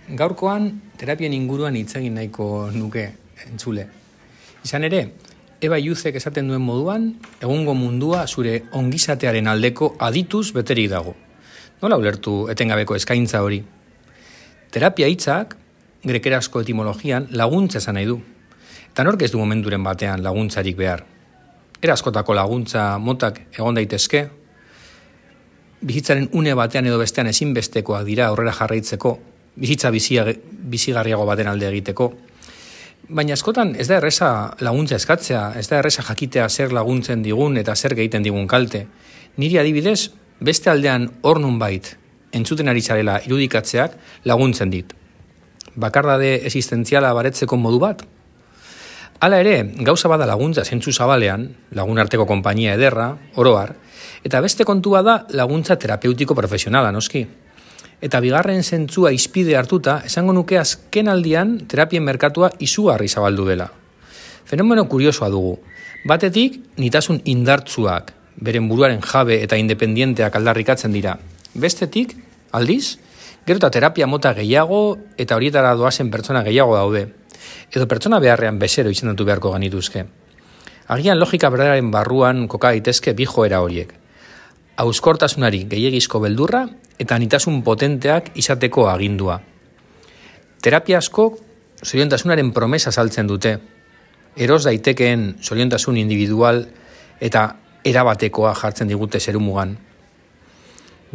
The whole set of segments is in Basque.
Gaurkoan terapien inguruan hitz egin nahiko nuke entzule. Izan ere, Eba Illusek esaten duen moduan, egungo mundua zure ongizatearen aldeko adituz beterik dago. Nola ulertu etengabeko eskaintza hori? Terapia hitzak, grekerazko etimologian, laguntza esan nahi du. Eta nork ez du momenturen batean laguntzarik behar. Era askotako laguntza motak egon daitezke, bizitzaren une batean edo bestean ezinbestekoak dira aurrera jarraitzeko, bizitza bizigarriago baten alde egiteko. Baina askotan ez da erresa laguntza eskatzea, ez da erresa jakitea zer laguntzen digun eta zer egiten digun kalte. Niri adibidez, beste aldean hor nunbait entzuten ari zarela irudikatzeak laguntzen dit. Bakardade existentziala baretzeko modu bat? Hala ere, gauza bada laguntza zentzu zabalean, lagun arteko konpainia ederra, oroar, eta beste kontua da laguntza terapeutiko profesionala, noski. Eta bigarren zentzua izpide hartuta, esango nuke azken aldian terapien merkatua izugarri zabaldu dela. Fenomeno kuriosoa dugu. Batetik, nitasun indartsuak, beren buruaren jabe eta independienteak aldarrikatzen dira. Bestetik, aldiz, gero eta terapia mota gehiago eta horietara doazen pertsona gehiago daude. Edo pertsona beharrean bezero izendatu beharko genituzke. Agian logika berdararen barruan koka daitezke bi joera horiek. Hauskortasunari gehiegizko beldurra eta nitasun potenteak izateko agindua. Terapia asko zoriontasunaren promesa saltzen dute. Eros daitekeen zoriontasun individual eta erabatekoa jartzen digute zerumugan.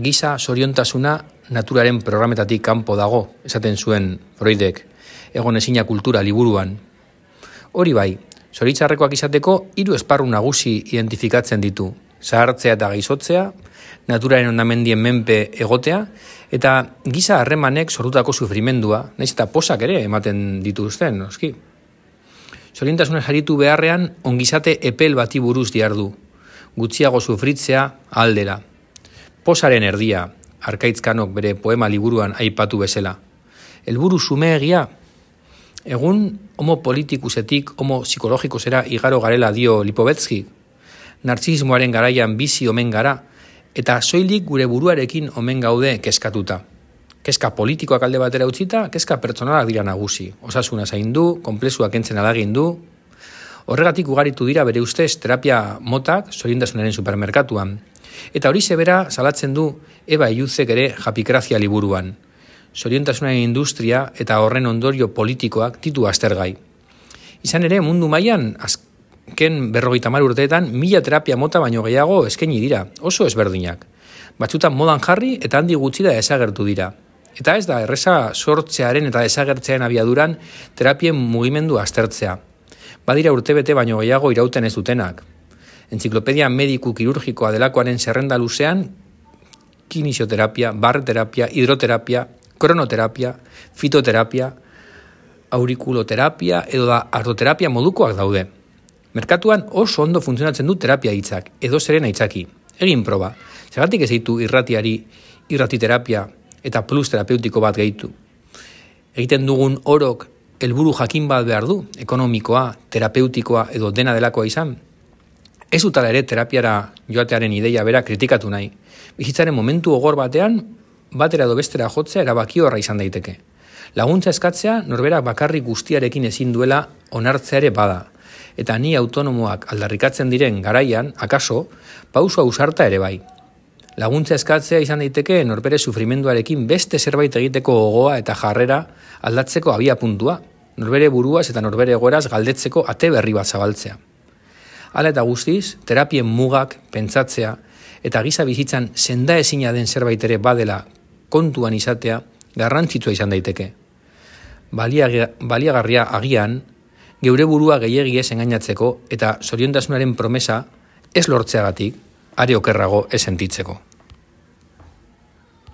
Giza zoriontasuna naturaren programetatik kanpo dago, esaten zuen Freudek, egon ezina kultura liburuan. Hori bai, zoritxarrekoak izateko 3 esparru nagusi identifikatzen ditu. Zahartzea eta gaizotzea, naturaren ondamendien menpe egotea, eta giza harremanek sortutako sufrimendua, nahiz eta posak ere ematen dituzten, noski. Zoriontasuna jaritu beharrean ongizate epel bati buruz diardu, gutxiago sufritzea aldera. Posaren erdia, Arkaitzkanok bere poema liburuan aipatu bezala. Helburu xumeegia, egun homo politikusetik, homo psikologikosera igaro garela dio Lipovetsky, nartzismoaren garaian bizi omen gara, eta soilik gure buruarekin omen gaude kezkatuta. Kezka politikoak alde batera utzita, kezka pertsonalak dira nagusi. Osasuna zaindu, konplexuak entzen alagindu. Horregatik ugaritu dira bere ustez terapia motak zoriontasunaren supermerkatuan. Eta hori zebera salatzen du Eba Illusek ere Japikrazia liburuan. Zoriontasunaren industria eta horren ondorio politikoak ditu aztergai. Izan ere, mundu mailan azken 50 urteetan 1000 terapia mota baino gehiago eskaini dira, oso ezberdinak. Batzutan modan jarri eta handi gutxira desagertu dira. Eta ez da erreza sortzearen eta desagertzearen abiaduran terapien mugimendu aztertzea. Badira urtebete baino gehiago irauten ez dutenak. Entziklopedia mediku kirurgikoa delakoaren zerrenda luzean, kinisioterapia, barreterapia, hidroterapia, kronoterapia, fitoterapia, aurikuloterapia edo da artoterapia modukoak daude. Merkatuan oso ondo funtzionatzen du terapia hitzak, edo zeren aitzaki. Egin proba, zergatik ez ditu irratiterapia eta plus terapeutiko bat gehitu. Egiten dugun orok helburu jakin bat behar du, ekonomikoa, terapeutikoa edo dena delakoa izan. Ez dutala ere terapiara joatearen ideia bera kritikatu nahi. Bizitzaren momentu gogor batean, batera edo bestera jotzea erabakiorra izan daiteke. Laguntza eskatzea norberak bakarrik guztiarekin ezin duela onartzea ere bada. Eta ni autonomoak aldarrikatzen diren garaian, akaso, pauso ausarta ere bai. Laguntza eskatzea izan daiteke norbere sufrimenduarekin beste zerbait egiteko gogoa eta jarrera aldatzeko abia puntua, norbere buruaz eta norbere egoeraz galdetzeko ate berri bat zabaltzea. Hala eta guztiz, terapien mugak, pentsatzea, eta giza bizitzan senda ezina den zerbait ere badela kontuan izatea garrantzitsua izan daiteke. Baliagarria agian, geure burua gehiegi ez engainatzeko eta zoriontasunaren promesa ez lortzeagatik, are okerrago ez sentitzeko.